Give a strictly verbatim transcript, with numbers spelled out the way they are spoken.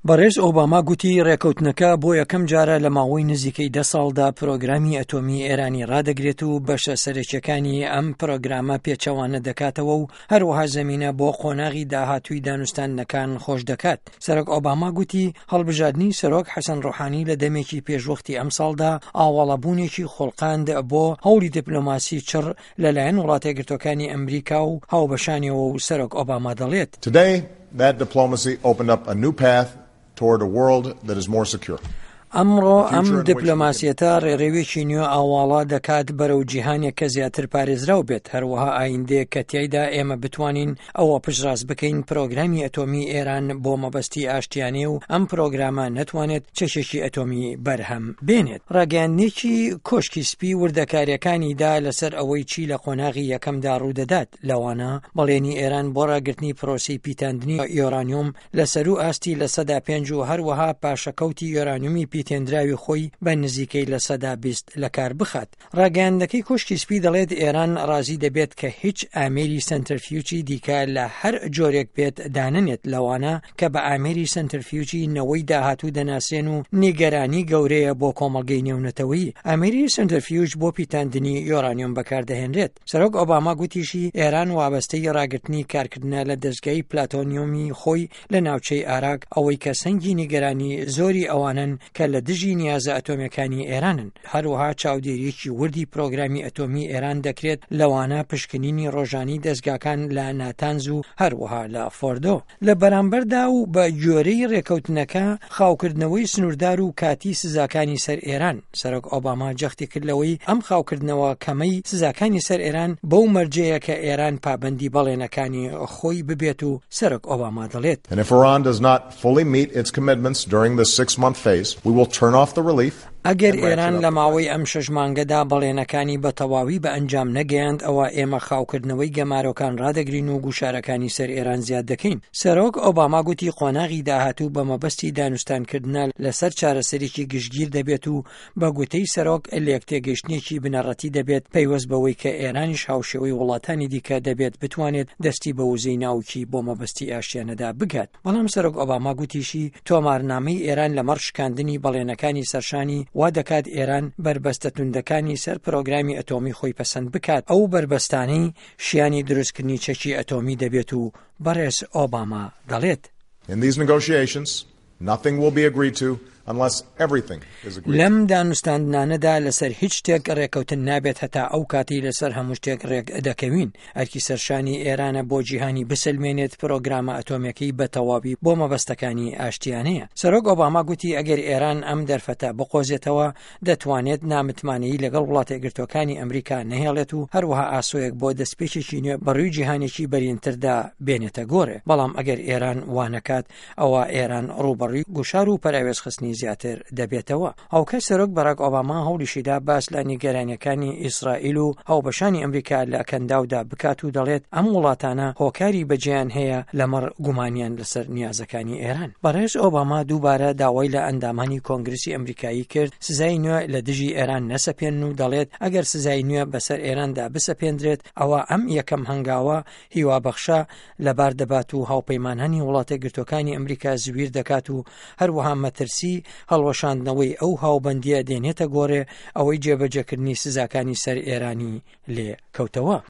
بەڕێز ئۆباما گوتی ڕێکەوتنەکە بۆ یەکەم جارە لە ماوەی نزیکەی دە ساڵدا پرۆگرامی ئەتۆمی ئێرانی ڕادەگرێت و بەشە سەرەکیەکانی ئەم پرۆگرامە پێچەوانە دەکاتەوە و هەروەها زەمینە بۆ قۆناغی داهاتووی دانوستاندنەکان خۆش دەکات. سەرۆک ئۆباما گوتی هەڵبژاردنی سەرۆک حەسەن ڕۆحانی لە دەمێکی پێشوەختی ئەمساڵدا ئاواڵەبوونێکی خوڵقاند بۆ هەوڵی دیپلۆماسی چڕ لەلایەن وڵاتە یەکگرتووەکانی ئەمریکا و هاوبەشانیەوە و سەرۆک ئۆباما دەڵێت: Today, that diplomacy opened up a new path toward a world that is more secure. ئەمڕۆ ئەم دیپلۆماسیەتە ڕێڕەوێکی نوێ ئاواڵا دەکات بەرەو جیهانێک کە زیاتر پارێزراو بێت، هەروەها ئایندەیەک کە تیایدا ئێمە بتوانین ئەوە پشتڕاست بکەین پرۆگرامی ئەتۆمی ئێران بۆ مەبەستی ئاشتیانەیە و ئەم پرۆگرامە نەتوانێت چەکێکی ئەتۆمی بەرهەم بێنێت. ڕاگەیاندنێکی کۆشکی سپی وردەکاریەکانی دا لەسەر ئەوەی چی لە قۆناغی یەکەمدا ڕوودەدات، لەوانە بەڵێنی ئێران بۆ ڕاگرتنی پرۆسەی پیتاندنی یۆرانیۆم لە سەروو ئاستی لە سەدا پێنج و هەروەها پاشەکەوتی یۆرانیۆمی پیتێندراوی خۆی بە نزیکەی لە سەدا بیست لە کار بخات. ڕاگەیاندنەکەی کۆشکی سپی دەڵێت ئێران ڕازی دەبێت کە هیچ ئامێری سەنتەرفیوجی دیکە لە هەر جۆرێک بێت دانەنێت، لەوانە کە بە ئامێری سەنتەرفیوجی نەوەی داهاتوو دەناسرێن و نیگەرانی گەورەیە بۆ کۆمەڵگەی نێونەتەوەیی. ئامێری سەنتەرفیوج بۆ پیتاندنی یۆرانیۆم بەکاردەهێنرێت. سەرۆک ئۆباما گوتیشی ئێران وابەستەی ڕاگرتنی کارکردنە لە دەستگای پلاتۆنیۆمی خۆی لە ناوچەی ئاراک، ئەوەی کە سەنگی نیگەرانی زۆری ئەوانن کە لە دژی نیازە ئەتۆمیەکانی ئێرانن. هەروەها چاودێریەکی وردی پرۆگرامی ئەتۆمی ئێران دەکرێت، لەوانە پشکنینی ڕۆژانی دەستگاکان لە ناتانز و هەروەها لە فۆردۆ. لە بەرامبەردا و بە گوێرەی ڕێکەوتنەکە خاوکردنەوەی سنووردار و کاتی سزاکانی سەر ئێران، سەرۆک ئۆباما جەختی کرد لەوەی ئەم خاوکردنەوە کەمەی سزاکانی سەر ئێران بەو مەرجەیە کە ئێران پابەندی بەڵێنەکانی خۆی ببێت و سەرۆک ئۆباما دەڵێت: And if Iran does not fully meet its commitments during the six-month phase, we will turn off the relief. ئەگەر ئێران لە ماوەی ئەم شەش مانگەدا بەڵێنەکانی بە تەواوی بە ئەنجام نەگەیاند، ئەوە ئێمە خاوکردنەوەی گەمارۆکان ڕادەگرین و گوشارەکانی سەر ئێران زیاد دەکەین. سەرۆک ئۆباما گوتی قۆناغی داهاتوو بە مەبەستی دانوستانکردنە لەسەر چارەسەرێکی گشتگیر دەبێت و بە گوتەی سەرۆک لێک تێگەیشتنێکی بنەڕەتی دەبێت پەیوەست بەوەی کە ئێرانیش هاوشێوەی وڵاتانی دیکە دەبێت بتوانێت دەستی بە وزەی ناوکی بۆ مەبەستی ئاشتیانەدا بگات. بەڵام سەرۆک ئۆباما گوتیشی تۆمارنامەی ئێران لەمەڕ شکاندنی بەڵێنەکانی سەرشانی وا دەکات ئێران بەربەستە توندەکانی سەر پرۆگرامی ئەتۆمی خۆی پەسەند بکات، ئەو بەربەستانەی شیانی دروستکردنی چەکی ئەتۆمی دەبێت و بەڕێز ئۆباما دەڵێت: In these negotiations, nothing will be agreed to unless everything is agreed to. لەم دانوستاندنانەدا لەسەر هیچ شتێک ڕێکەوتن نابێت هەتا ئەو کاتەی لەسەر هەموو شتێک ڕێک دەکەوین. ئەرکی سەرشانی ئێرانە بۆ جیهانی بسەلمێنێت پرۆگرامە ئەتۆمیەکەی بە تەواوی بۆ مەبەستەکانی ئاشتیانەیە. سەرۆک ئۆباما گوتی ئەگەر ئێران ئەم دەرفەتە بقۆزێتەوە دەتوانێت نامتمانەیی لەگەڵ وڵاتە یەکگرتووەکانی ئەمریکا نەهێڵێت و هەروەها ئاسۆیەک بۆ دەستپێکێکی نوێ بەڕووی جیهانێکی بەرینتردا بێنێتە گۆڕێ. بەڵام ئەگەر ئێران وانەکات ئەوە ئێران ڕووبەڕووی گوشار و پەراوێزخستنی زیاتر دەبێتەوە. هاوکات سەرۆک باراک ئۆباما هەوڵیشیدا باس لە نیگەرانیەکانی ئیسرائیل و هاوبەشانی ئەمریکا لە کەنداودا بکات و دەڵێت ئەم وڵاتانە هۆکاری بەجێیان هەیە لەمەڕ گومانیان لەسەر نیازەکانی ئێران. بەڕێز ئۆباما دووبارە داوای لە ئەندامانی کۆنگرسی ئەمریکایی کرد سزای نوێ لە دژی ئێران نەسەپێنن و دەڵێت ئەگەر سزای نوێ بەسەر ئێراندا بسەپێندرێت ئەوە ئەم یەکەم هەنگاوە هیوابەخشە لەبار دەبات و هاوپەیمانانی وڵاتە یەکگرتووەکانی ئەمریکا زویر دەکات و هەروەها مەترسی هەڵوەشاندنەوەی ئەو هاوبەندیە دێنێتە گۆڕێ ئەوەی جێبەجێکردنی سزاکانی سەر ئێرانی لێ کەوتەوە.